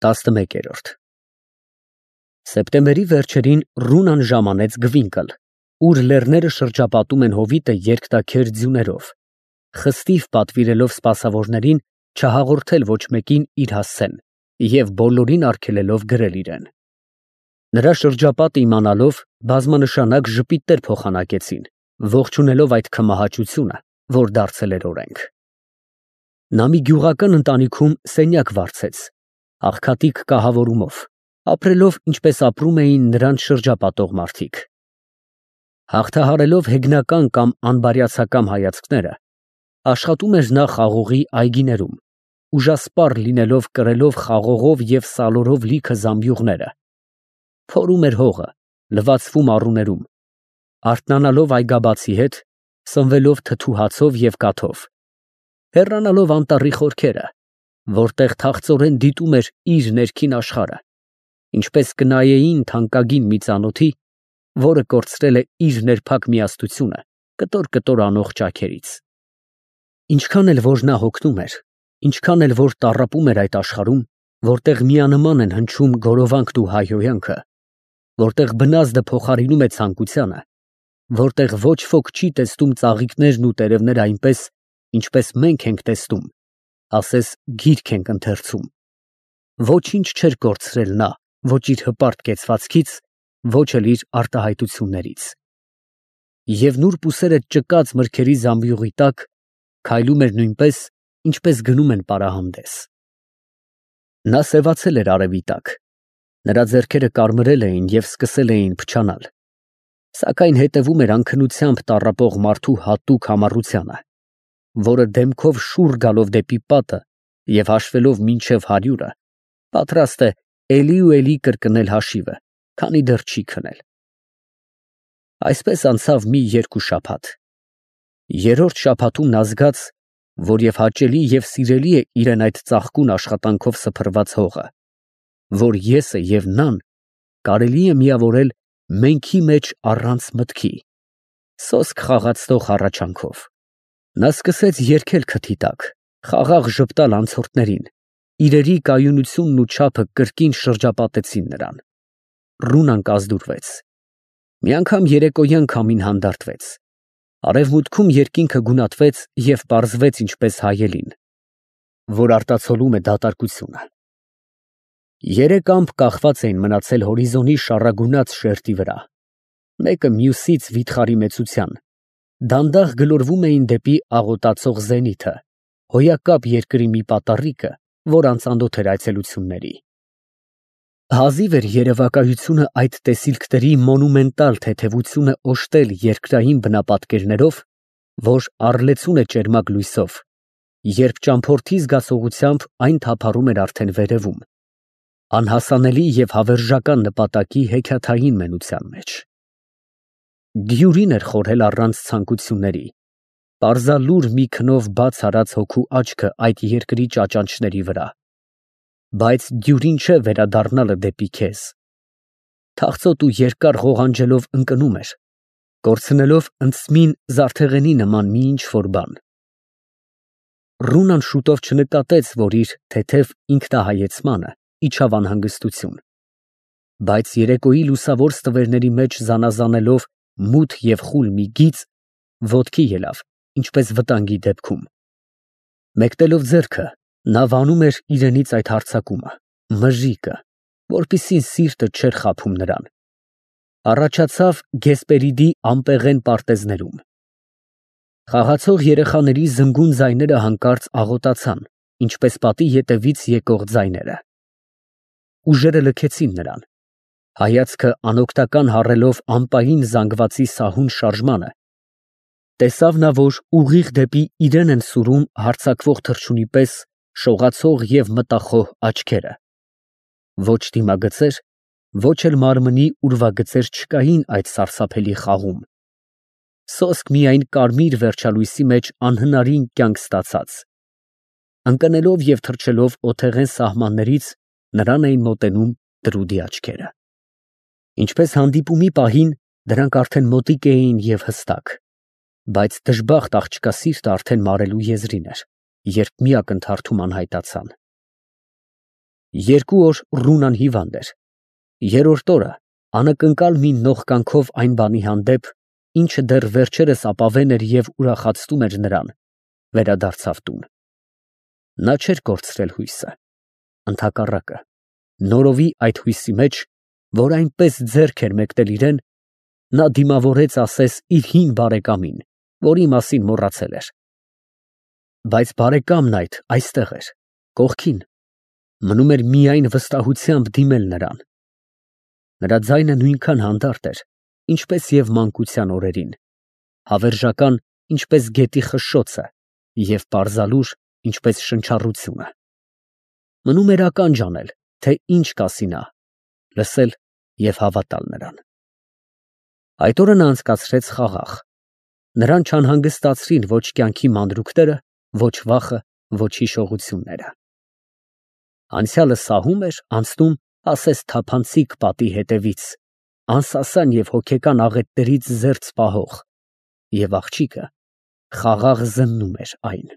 11-րդ Սեպտեմբերի վերջերին Ռունան ժամանեց Գվինկլ, ուր լեռները շրջապատում են հովիտը երկնաքեր ձյուներով, խստիվ պատվիրելով սպասավորներին չհաղորդել ոչ մեկին իր հասցեն և բոլորին արգելելով գրել իրեն։ Նրա շրջապատը իմանալով, բազմանշանակ ժպիտներ փոխանակեցին, ողջունելով այդ քմահաճությունը, որ դարձել էր օրենք։ Նա մի գյուղական ընտանիքում սենյակ վարձեց, աղքատիկ կահավորումով, ապրելով ինչպես ապրում էին նրանց շրջապատող մարդիկ։ Հաղթահարելով հեգնական կամ անբարյացակամ հայացքները, աշխատում էր նա խաղողի այգիներում, ուժասպառ լինելով կրելով խաղողով և սալորով լիքը զամբյուղները, փորում էր հողը, լվացվում առուներում, արթնանալով այգաբացի հետ, սնվելով թթու հացով և կաթով, հեռանալով անտառի խորքերը, որտեղ թախծորեն դիտում էր իր ներքին աշխարհը, ինչպես կնայեին թանկագին մի ծանոթի, որը կորցրել է իր ներփակ միաստությունը կտոր անող ճաքերից։ Ինչքան էլ որ նա հոգնում էր, ինչքան էլ որ տառապում էր այդ աշխարհում, որտեղ միանման են հնչում գորովանքն ու հայհոյանքը, որտեղ բնազդը փոխարինում է ցանկությանը, որտեղ ոչ ոք չի տեսնում ծաղիկներն ու տերևները այնպես, ինչպես մենք ենք տեսնում, ասես գիրք ենք ընթերցում, ոչինչ չէր կորցրել նա, ոչ իր հպարտ կեցվածքից, ոչ էլ իր արտահայտություններից։ Եվ նուրբ ուսերը ճկած մրգերի զամբյուղի տակ քայլում էր նույնպես, ինչպես գնում են պարահանդես։ Նա սևացել էր արևի տակ, նրա ձեռքերը կարմրել էին և սկսել էին փչանալ, սակայն հետևում էր անքնությամբ տառապող մարդու հատուկ համառությանը, որը դեմքով շուռ գալով դեպի պատը և հաշվելով մինչև 100-ը, պատրաստ է էլի ու էլի կրկնել հաշիվը, քանի դեռ չի քնել։ Այսպես անցավ մի 2 շաբաթ։ Երրորդ շաբաթում նա զգաց, որ և հաճելի և սիրելի է իրեն այդ ծաղկուն աշխատանքով սփռված հողը, որ եսը և նան կարելի է միավորել մենքի մեջ առանց մտքի, սոսկ խաղացնող հառաչանքով։ Նա սկսեց երգել քթի տակ, խաղաղ ժպտալ անցորդներին, իրերի կայունությունն ու չափը կրկին շրջապատեցին նրան։ Ռունան կազդուրվեց։ Մի անգամ երեկոյան քամին հանդարտվեց, արևմուտքում երկինքը գունատվեց և պարզվեց ինչպես հայելին, որ արտացոլում է դատարկությունը։ 3 ամպ կախված էին մնացել հորիզոնի շառագունած շերտի վրա, մեկը մյուսից վիթխարի մեծության, դանդաղ գլորվում էին դեպի աղոտացող զենիթը, հոյակապ երկրի մի պատառիկը, որ անծանոթ էր այցելությունների։ Հազիվ էր երևակայությունը այդ տեսիլքների մոնումենտալ թեթևությունը օժտել երկրային բնապատկերներով, որ առլեցուն է ճերմակ լույսով, երբ ճամփորդի զգացողությամբ այն թափառում էր արդեն վերևում, անհասանելի և հավերժական նպատակի հեքիաթային մենության մեջ։ Դյուրին էր խորհել առանց ցանկությունների, պարզալուր մի քնով բաց արած հոգու աչքը այդ երկրի ճաճանճների վրա, բայց դյուրին չէ վերադառնալը դեպի քեզ, թախծոտ ու երկար ղողանջելով ընկնում էր, կորցնելով ընծմին զարդեղենի նման մի ինչ֊որ բան։ Ռունան շուտով չնկատեց, որ իր թեթև ինքնահայեցմանը իջավ անհանգստություն, բայց երեկոյի լուսավոր ստվերների մեջ զանազանելով մութ և խուլ մի գիծ, ոտքի ելավ, ինչպես վտանգի դեպքում։ Մեկնելով ձեռքը, նա վանում էր իրենից այդ հարձակումը, մժիկը, որպեսզի սիրտը չէր խաբում նրան, առաջացավ Գեսպերիդի անպեղեն պարտեզներում։ Խաղացող երեխաների զնգուն ձայները հանկարծ աղոտացան, ինչպես պատի ետևից եկող ձայները։ Ուժերը լքեցին նրան, հայացքը անօգնական հառելով ամպային զանգվածի սահուն շարժմանը, տեսավ նա, որ ուղիղ դեպի իրեն են սուրում հարձակվող թռչունի պես շողացող և մտախոհ աչքերը։ Ոչ դիմագծեր, ոչ էլ մարմնի ուրվագծեր չկային այդ սարսափելի խաղում, սոսկ միայն կարմիր վերջալույսի մեջ անհնարին կյանք ստացած։ Ընկնելով և թռչելով օթեղեն սահմաններից նրան էին մոտենում տրուդի աչքերը։ Ինչպես հանդիպումի պահին դրանք արդեն մոտիկ էին և հստակ, բայց դժբախտ աղջկա սիրտը արդեն մարելու եզրին էր, երբ մի ակնթարթում անհայտացան։ 2 օր Ռունան հիվանդ էր։ Երրորդ օրը անակնկալ մի նողկանքով այն բանի հանդեպ, ինչը դեռ վերջերս ապավեն էր և ուրախացնում էր նրան, վերադարձավ տուն։ Նա չէր կորցրել հույսը, ընդհակառակը, նորովի այդ հույսի մեջ, որ այնպես ձեռք էր մեկնել իրան, նա դիմավորեց ասես իր հին բարեկամին, որի մասին մոռացել էր։ Բայց բարեկամն այդ այստեղ էր, կողքին, մնում էր միայն վստահությամբ դիմել նրան։ Նրա ձայնը նույնքան հանդարտ էր, ինչպես և մանկության օրերին, հավերժական, ինչպես գետի խշշոցը, և պարզալուր, ինչպես շնչառությունը։ Մնում էր ականջ անել, թե ինչ կասի նա, լսել և հավատալ նրան։ Այդ օրը նա անցկացրեց խաղաղ։ Նրան չանհանգստացրին ոչ կյանքի մանրուքները, ոչ վախը, ոչ հիշողությունները։ Անցյալը սահում էր, անցնում ասես թափանցիկ պատի հետևից, անսասան և հոգեկան աղետներից զերծ պահող, և աղջիկը խաղաղ զննում էր այն։